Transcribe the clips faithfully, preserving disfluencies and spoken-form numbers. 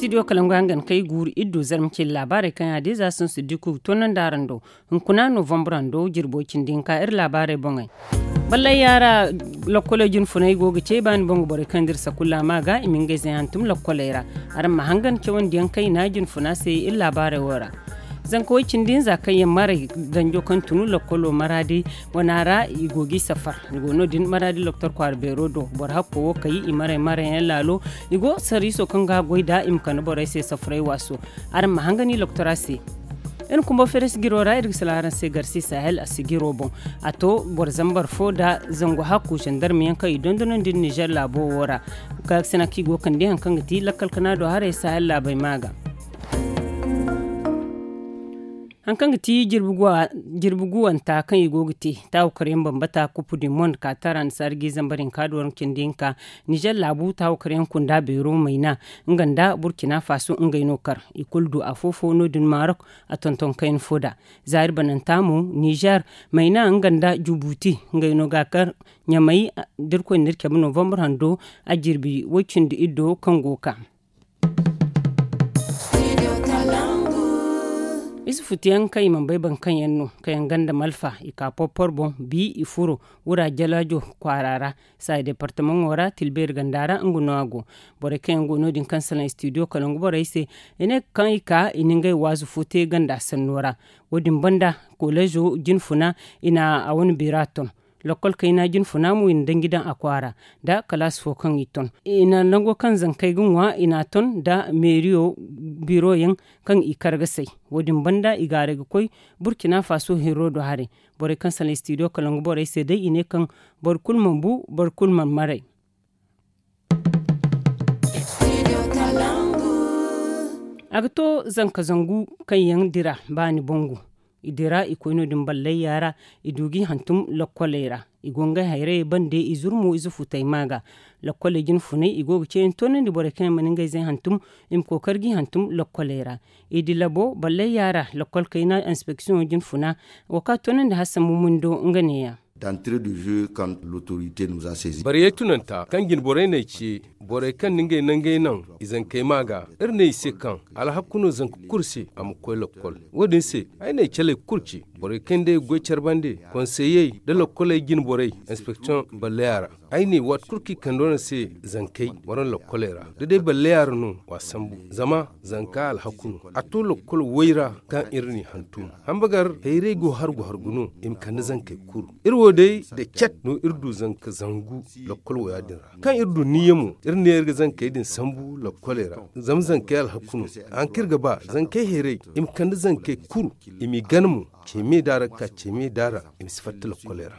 Studio kalangu hangan kay guuru iddo zarma cindi laabaarey kaŋ yaadin za sinsu diku toonandi araŋ do. Hunkuna novembre hando jirbo cindi hinka iri laabaarey boŋey. Ballay yaara lokkoley jinfunay go ga ce baani boŋ ga borey kaŋ dira sakulla ma ga i ma ngey zay hantum lokkoley ra. Araŋ ma hangan cawandiyaŋ kayna jinfuna se iri laabaarey wo ra. Zanka way cindi hinza kaŋ yaŋ maray danjo kaŋ tunu lokkolo maraadi wana ra i go g'i safar. I go no- din maraadi loktor kwaara beero do boro hakko wo kay i maray maray yaŋ laalo. I go sarriiso kaŋ ga goy da i ma kande borey se safaray waaso. Araŋ ma hangani loktora se. Iri kumbo feere sigiro ra iri ga sala araŋ se garsi sahel a sigiro boŋ. A to boro zambar fo da zangu hakku zandarmiyaŋ kaŋ i dondonandi nizer laabo wo ra. Ga sina kaŋ i go kande haŋ kaŋ ga ti lakkal kana do haray sahel laabey ma ga. Haŋ kaŋ ga ti jirbi guwanta kaŋ i go ga te taawakaryaŋ bambata kupu di mond ka tara nda saari ga i zambar hinka do waranka cindi hinka. Nizer laabu taawakaryaŋ kunda beero mayna nga nda burkina faso ngey no kar i kulu du afo-fo no- din marok. A tonton kayna fo da zaari bananta mo nizer mayna nga nda jubuti ngey no ga kar ɲamay. Da iri koy nda iri cabe novembre hando a jirbi way cindi iddo kaŋ go ga ka. Ize futuyaŋ kaŋ i mana bay boro kaŋ yaŋ no kaŋ yaŋ ganda malfa i ka porpor boŋ bi i furo wura jalaajo kwaara ra. Saayi departamaŋo ra tilbeeri ganda ra nga no a go. Borey kaŋ yaŋ go no- din kaŋ salaŋ studio kalangu borey se i ne kaŋ i ka i na ngey waazu fo te ganda sanno ra. Wo- din banda koleezo jinfuna i na a wane beera ton. Lokkol kayna jinfuna mo i na danji daŋ a kwaara nda kalaasi fo kaŋ i ton. I na nango kaŋ zankey ga ŋwa i na a ton nda meeriyo biroyaŋ kaŋ i kar ga say. Wo- din banda i gaaray ga koy burkina faso hirro do haray. Borey kaŋ salaŋ studio kalangu borey se day i ne kaŋ boro kulu mana bu boro kulu mana maray. A ga to zanka zangu kaŋ yaŋ dira baani bangu. I dira i koy no- din ballay yaara i du g'i hantum lokkoley ra. I go ngey hayrayey bande i zurmo ize futey ma ga. Lokkoley jinfunay i go ga ceeyaŋ toonandi borey kaŋ yaŋ mana ngey zey hantum i ma kookari g'i hantum lokkoley ra. I di labo ballay yaara lokkol kayna inspeksiyoŋo jinfuna. Wo ka toonandi hassan mumundo nga neeya. D'entrée de jeu quand l'autorité nous a saisi. Bariyey tunanta kaŋ jine borey n'ay ce borey kaŋ na ngey nangey naŋ i zankey ma ga. Iri ne i se kaŋ alhakku no zanka kulu se a ma koy lokkol. Wo- din se ay n'ay caley kulu ce borey kaŋ day ga goy care bande konseyey nda lokkoley jine borey inspeksiyoŋ balleya ra. Ay ne waati kulu kaŋ i kande wane se zankey waraŋ lokkoley ra da day balleya ra no wa sambu. Zama zanka alhakku no a to lokkol way ra kaŋ iri n'i hantum. Hambagar hayray go hargu hargu no i ma kande zankey kuru. Iri wo day da cat no iri du zanka zangu lokkol waya din ra kaŋ iri du niyya mo iri ne iri ga zankey din sambu lokkoley ra. Zama zankey alhakku no haŋ kaŋ iri ga ba zankey hayray i ma kande zankey kuru i m'i gana mo. Ceme da ra ga ka ceme da ra i ma si fatta lokkoley ra.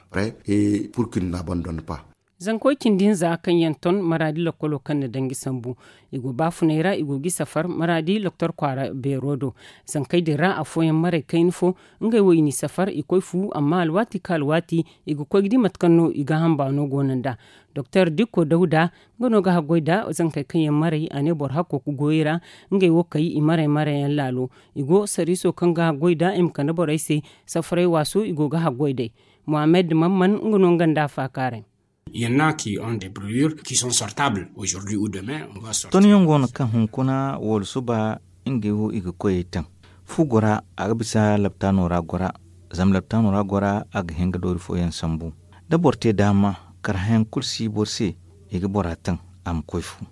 Zankoy cindi hinza kaŋ yaŋ ton maraadi lokkolo kaŋ na danji sambu. I go baafunay ra i go g'i safar maraadi loktor kwaara beero do. Zankey din ra afooyaŋ maray kayna fo ngey wo i n'i safar i koy fu amma alwaati ka alwaati i ga koy ga di mate kaŋ no i gaaham baano go no nd'a. Doktor dikko dawda nga no ga haggoy nda zankey kaŋ yaŋ maray a ne boro hakko ga goyey ra. Ngey wo kay i maray maray yaŋ laalo i go sarriiso kaŋ ga haggoy nda i ma kande borey se. Safaray waaso i go ga haggoy day. Mohammed mamman nga no nga nda a faakaaray. Ton yaŋ go no kaŋ hunkuna wala suba ngey wo i ga koyey taŋ. Fu gora a ga bisa laptaano ra gora. Zama laptaano ra gora a ga hin ga doori fooyaŋ sambu. Da boro te daama karhayaŋ kulu si boro se i ga bora taŋ a ma koy fu.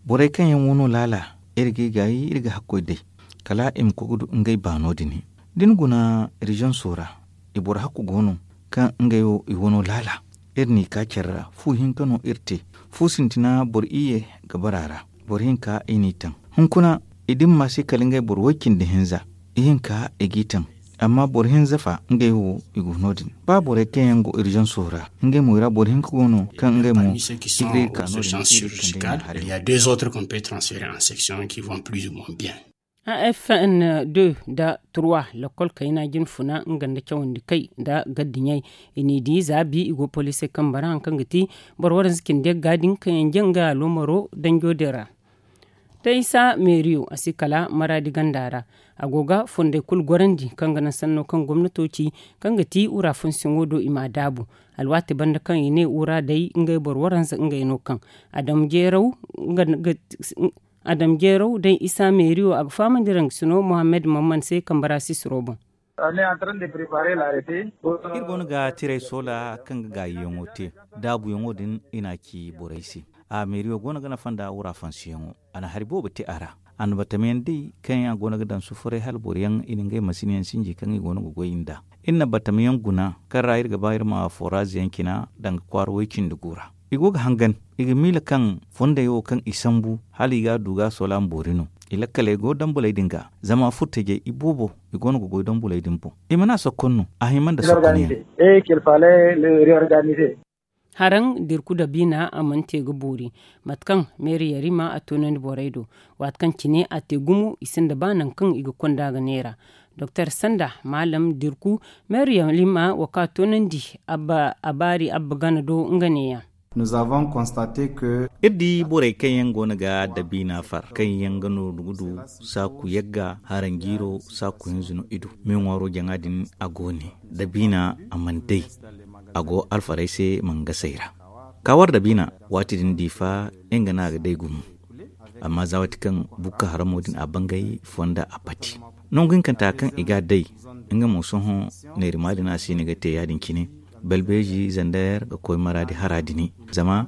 Borey kaŋ yaŋ wano laala iri ga i gaayi iri ga hakkoy day kala i ma koy ga du ngey baano din. Da ni guna riziyoŋ soora i boro hakku go no kaŋ ngey wo i wano laala. Iri n'i ka care ra fu hinka no iri te. Fu sintina boro iyye ga bara a ra. Boro hinka i n'i taŋ hunkuna i dimma se kala ngey boro woy-cindi hinza. Ihinka i g'i taŋ amma boro hinza fa ngey wo i go no- din. Ba borey kaŋ yaŋ go irizaŋso ra ngey mo i ra boro hinka go no kaŋ ngey mo i ga iri ka no- din. Il y a deux autres qu'on peut transférer en section qui vont plus ou moins bien. A f n deux nda trois lakkol kayna jinfuna nga nda cawandi kay nda gaddiɲey. I n'i di za bi i go poliisey kambe ra hari kaŋ ga ti boro waranza cindi yagga din kaŋ yaŋ jaŋ ngey aloomaro danjo din ra. Taysa meeriyo a si kala maraadi ganda ra. A go ga fondey kulu gorandi kaŋ ga naŋ sanno kaŋ gomnato ci kaŋ ga ti wura fonsiyoŋo do i m'a daabu. Alwaati banda kaŋ i ne wura day ngey boro waranza ngey no kaŋ a daŋ jeeraw nga ga Adam jeeraw day isa meeriyo a ga fahamandi rangasino mohammed mamman se kambara sisiro boŋ. Iri goono ga tiray soola kaŋ ga gaayiyaŋo te. Daabuyaŋo din i n'a ci borey se. A meeriyo goono ga nafa nda wura fansiyaŋo. A na hari boobo te a ra. A na batamayaŋ day kaŋ yaŋ a goono ga daŋ sufuray hala boro yaŋ i na ngey masinyaŋ sinji kaŋ i goono ga goy nd'a. Iri na batamayaŋ guna kaŋ ra iri ga ba iri ma foraaziyaŋ cina danga kwaara way-cindi gu ra. I go ga hangan i ga miila kaŋ fondey wo kaŋ i sambu hala i ga a du ga a soola ma boori no. I lakkaley go dambuley din ga zama furtajey i boobo i goono ga goy dambuley din boŋ. I mana sokkon no a hima nda sokkon yaŋ. Haraŋ dirku dabiina a mana te ga boori mate kaŋ meeri yarima a toonandi borey do. Waati kaŋ cine a te gumo i sinda ba nangu kaŋ i ga konda ga neera. Doktor sanda maalam dirku meeri yarima wo kaŋ a toonandi a baari abba gana do nga neeya. Iri di borey kaŋ yaŋ goono ga dabiina far kaŋ yaŋ ga nooru ga du saaku yagga haranjiiro saaku hinza no i du. Me ŋwaaro jaŋa din a go ne dabiina a mana day. A go alfarey se mangasey ra. Ka war dabiina waati din diifa nga no a ga day gumo. Amma za waati kaŋ bukka haramo din a bangay fonda a pati nangu hinkanta kaŋ i ga a day. Nga mo sohõ neerima din a si ni ga te ya-din cine. Balbeeji zander ga koy maraadi hara dini zama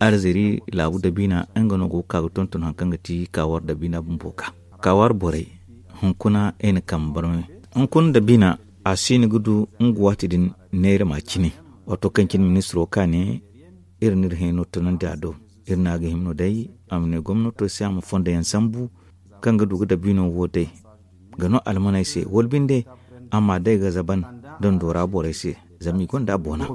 alzeri laabu dabiina nga no go ga ka ga tonton hari kaŋ ga ti kaawar dabiina bumbo ga kaawar borey. Hunkuna i na kambe barmay hunkuna dabiina a si ni ga du nga waati din neerima cine. Waato kaŋ cine ministiro ka ne iri n'iri hẽeno tunandi a do. Iri ne a ga hima no day a ma ne gomnato se a ma fondo yaŋ sambu kaŋ ga du ga dabiino wo day ga no almaney se wala binde a ma day ga zaban dando ra borey se. Zama i gonda boona.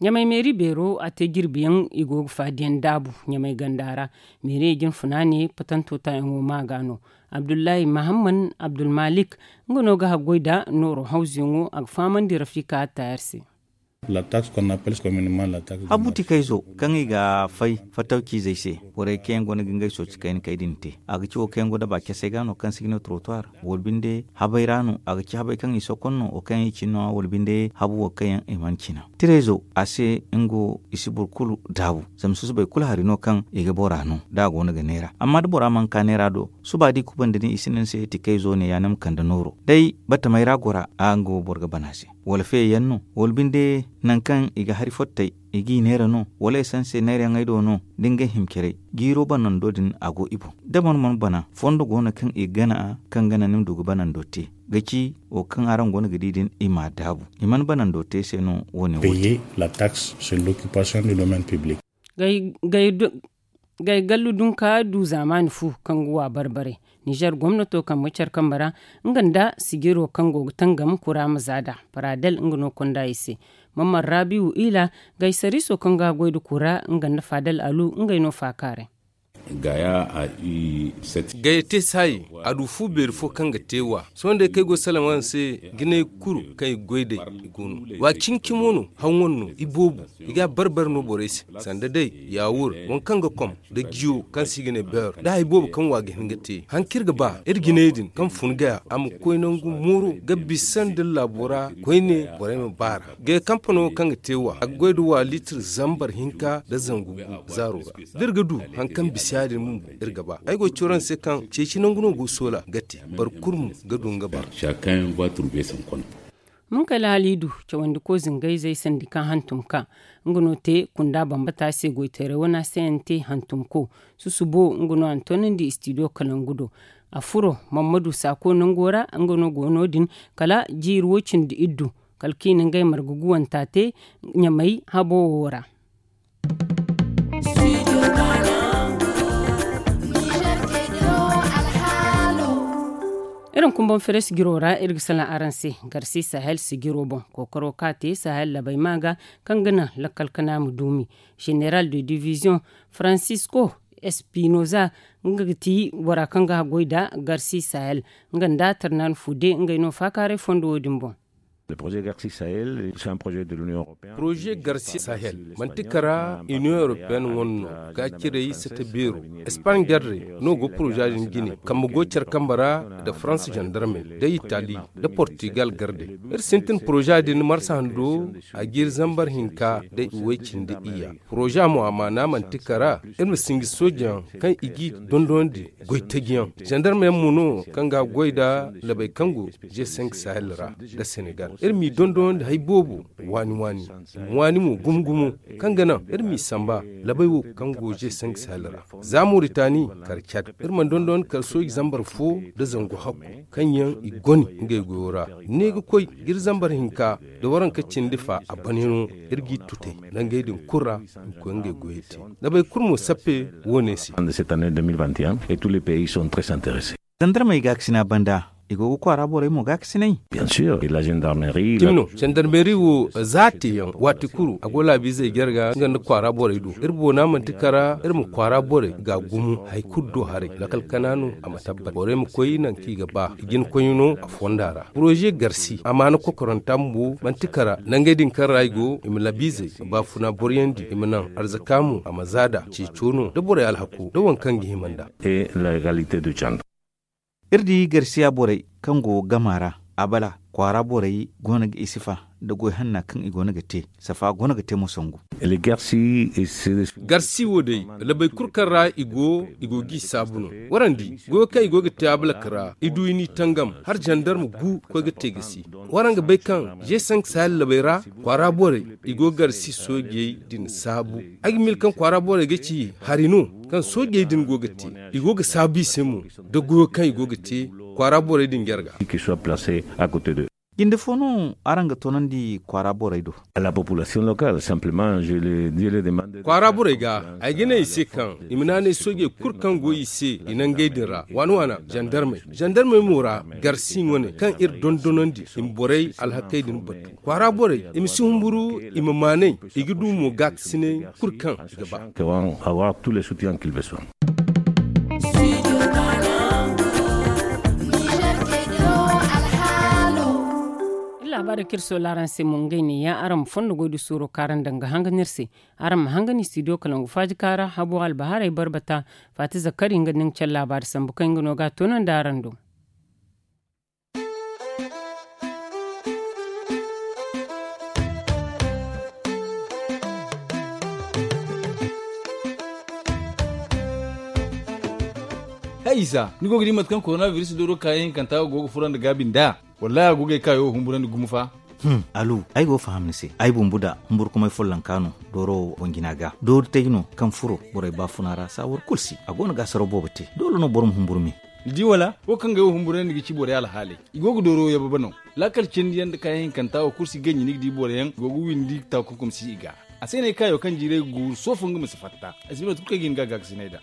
Ɲamay meeri beero a te jirbi yaŋ i go ga faadiyaŋ daabu ɲamay ganda ra. Meeri jin funa ne patanto taayaŋo ma ga no. Abdullahi mahamman abdulmalik nga no ga haggoy da nooro hawzuyaŋo a ga fahamandi rafika tayar se. Habu tikayzo kaŋ i ga fay fatawciizey se borey kaŋ yaŋ go no ga ngey sooci kayna kay din te a ga ci wo kaŋ yaŋ go daba casey ga no kaŋ si ga ne trottoir wala binde habey ra no a ga ci habey kaŋ i sokon no wo kaŋ yaŋ i cin no wala binde habu wo kaŋ yaŋ i mana cina. Tirayzo a se nga wo i si boro kulu daabu zama susubay kulu hari no kaŋ i ga bora no da a go no ga neera amma da bora mana ka neera do suba da i kubandi ni i si ne ni se tikayzo ne ya ni ma kande nooro day batamey ra gora a nga wo boro ga bana se. Wala feeyaŋ no wala binde nangu kaŋ i ga hari fottey i g'i neera no wala i sanse neerayaŋey do no da ngey hima caray jiiro banando din a go i boŋ. Da boro mana bana fondo go no kaŋ i ga gana a kaŋ gana ni ma du ga banando te ga ci wo kaŋ araŋ go no ga di din i m'a daabu i mana banando te se no wo- ne wo te. Gay gallu dunka du zaamaani fu kaŋ ga wa bar-bare. Nizer gomnato kambe care kambe ra nga nda sijiro kaŋ go ga tangam kura ma za nd'a. Paradel nga no konda i se. Mamman rabiwu ila gay sariiso kaŋ ga goy nda kura nga nda fadel alu ngey no faakaaray. Gaya te saayi a du fu beeri fo kaŋ ga te wa sohõ day kaŋ ay go ga salaŋ araŋ se. Jinay kulu kaŋ i ga goy day i go no. Wa cimi-cimo no haŋ wane no i boobo i ga a bar-bare no borey se. Sanda day yaawur waŋ kaŋ ga kom nda jiyo kaŋ se i ga ne beer nda hari boobo kaŋ wa ga hin ga te haŋ kaŋ iri ga ba iri jinay din kaŋ fun gaya a ma koy nangu mooro ga bisa nda laabo ra koyne borey ma baara. Gay kampano kaŋ ga te wa a ga goy nda wa liitir zambar hinka nda zangu gu zaaro ra. Da iri ga du hari kaŋ bisa ya- din bumbo iri ga ba ay go ga ci araŋ se kaŋ ceeci nangu no go ga soola ga te boro kulu mo ga du nga baara. Munkayla haliidu cawandiko zingayzey sandi kaŋ hantum ka nga no te kunda bambata se goytaray wana se yaŋ te hantumko. Susubo nga no a na toonandi istidiyo kalangu do. A furo mammadu saako nango ra nga no go no- din kala jiiri wo- cindi iddu kala kaŋ i na ngey marga guwanta te. Ɲamay habo wo ra. Iri na kumbaŋ feres jiro ra iri ga salaŋ araŋ se. Garsi sahel sijiro boŋ kookaro kaŋ a te sahel labay ma ga kaŋ ga naŋ lakkal kana ma duumi. General de division francisco espinoza nga ga ti bora kaŋ ga haggoy nda garsi sahel nga nda tarnan fude ngey no faakaaray fondo wo- din boŋ. Poroze garsi sahel manti kara union européenne wane no ga ciray sata beero. Espagne garre no go poroza din jine kambe go care kambe ra, nda faransa zandarmey, nda itali, nda portugal garde. Iri sintin poroza din marsa hando a ga iri zambar hinka nda iway cindi iyya. Poroza mo a maana manti kara iri ma sinji soojeyaŋ kaŋ i g'i dondonandi goy tajiyaŋ. Zandarmeyaŋ mo no kaŋ ga goy nda labey kaŋ go ze cinq sahel ra, nda senegal iri m'i dondonandi hari boobo waani waani. I ma waani mo gumo gumo kaŋ ga naŋ iri m'i samba labey wo kaŋ go ze cinq sahel ra. Za moritani kar cad iri mana dondonandi kar sooji zambar fo nda zangu hakku kaŋ yaŋ i goni ngey goyo ra. Ne ga koy ga iri zambar hinka nda waranka cindi fa a bane no. Iri g'i tutay nangey din kulu ra i ma koy ngey goyey te. Labey kulu mo sappe wo- ne se. Zandarmey gaakasina banda i go ga kwaara borey mo gaakasinay. Cimi no zandarmeri wo za a te yaŋ waati kulu a go laabiizey jarga nga nda kwaara borey do. Iri boona manti kara iri ma kwaara borey ga gumo hari kulu do haray lakkal kana no a ma tabbat borey ma koy nangu kaŋ i ga ba i jina koyne no a fonda ra. Poroze garsi a maana kokoranta bumbo manti kara nangey din kaŋ ra i go i ma laabiizey ma baafuna boroyandi i ma naŋ arzaka mo a ma za nd'a ceeco no nda borey alhako nda waŋ kaŋ ga hima nd'a. Iri di garsiya borey kaŋ go gama ra, abala kwaara borey go no ga isifa nda goy hanna kaŋ i go no ga te. Safa go no ga te mo sangu. Garsi wo day labey kulu kaŋ ra i go i go g'i saabu no. Waraŋ di goyo kaŋ i go ga te abalak ra i du i n'i tangam har zandarma gu koy ga te ga si. Waraŋ ga bay kaŋ ze sank sahel labey ra kwaara borey i go garsi soojey din saabu. Ay ga mil kaŋ kwaara borey ga ci hari no kaŋ soojey din go ga te i go ga saabu i se mo nda goyo kaŋ i go ga te kwaara borey din jarga. Jinde fo no araŋ ga toonandi kwaara borey do? Kwaara borey ga ay ga ne i se kaŋ i ma naanay soojey kulu kaŋ go i se i nangey din ra waana waana zandarmey zandarmey mo ra garsi wane kaŋ iri dondonandi i ma borey alhakey din batu. Kwaara borey i ma si humburu i ma maanay i ga du mo gaakasinay kulu kaŋ i ga ba. Iri laabaari kaŋ iri soola araŋ se mo ngey ne ya araŋ ma fondo goy da suuro kaŋ araŋ daŋ ga hangan iri se. Araŋ ma hangan i studio kalangu faaji kaara habo albahaarey barbata. Faati zakkari nga nda ni ga care laabaari sambu kaŋ nga no ga a toonandi araŋ do. Hay isa ni go ga di mate kaŋ korona biris dooro kaayaŋ hinkanta go ga furandi gaabi nd'a? Wallahi a go ga ay kaayo humburandi gumo fa. Alu, ay go ga faham ni se. Ay bumbu da humburkumay follonka no dooro wo boŋ jina ga doori taji no kaŋ furo borey baafuna ra saawar kulu si a go no ga asaro boobo te. Doole no boro ma humburu me. Ni di wala wo kaŋ ga ay wo humburandi ga ci borey alhaaley. I go ga dooro yababa no. Laakal cindi yaŋ nda kaayaŋ hinkanta wo kulu si ganji ni ga di boro yaŋ go ga windi taakunkum si i ga. A se no ay kaayo kaŋ jiiray ga guuru soofo nga ma si fatta. Ay si ne mate kulu kaŋ ay ga hin ga a gaakasinay nd'a.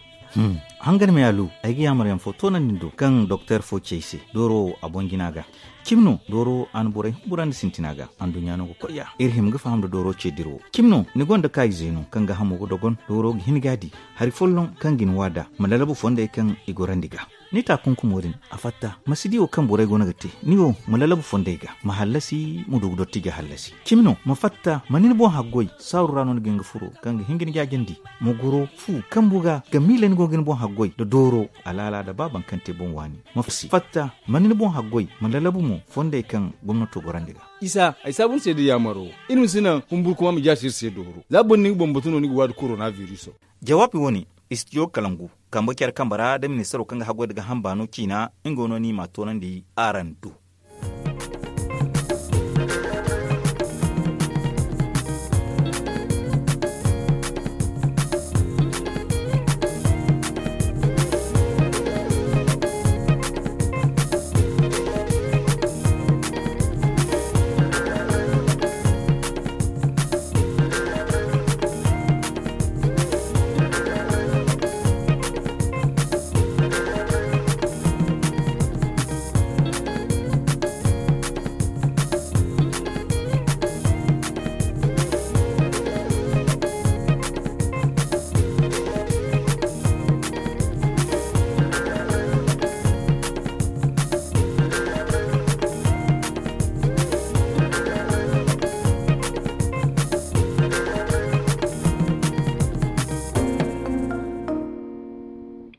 Hangan me alu, ay ga yaamar yaŋ fo toonandi ni do kaŋ doktor fo ci ay se dooro wo a boŋ jina ga. Cimi no dooro wo a na borey humburandi sintina ga. Anduɲɲa no ga koy ya iri hima ga faham nda dooro ce dira wo. Cimi no ni gonda kaayize no kaŋ ga hamo ga dogon dooro ga hin ga a di hari folloŋ kaŋ ga ni waada ma lalabu fondey kaŋ i gorandi ga. Ni taakunkumo din a fatta ma si di wo kaŋ borey go no ga te. Ni wo ma lalabu fondey ga ma hallasi ma du ga dottija hallasi. Cimi no ma fatta ma ni ni boŋ haggoy saaru ra no ni ga hin ga furo kaŋ ga hin ga ni jaajandi. Ma goro fu kambu ga ga miila ni go ga ni boŋ haggoy nda dooro alaala nda ba baŋ kaŋ te boŋ waani. Ma fatta ma ni ni boŋ haggoy ma lalabu mo fondey kaŋ gomnato gorandi ga. Isa ay saabu ni se da yaamaro. Iri ma si naŋ humburkuma ma jaasi iri se dooro za boro ni ga bambatu no ni ga waadi korona biriso. Jawaabi wo-ne istijo kalangu kambe care kambe ra nda ministaro kaŋ ga haggoy nda ga hamba no ciina. Nga no ni m'a toonandi araŋ do.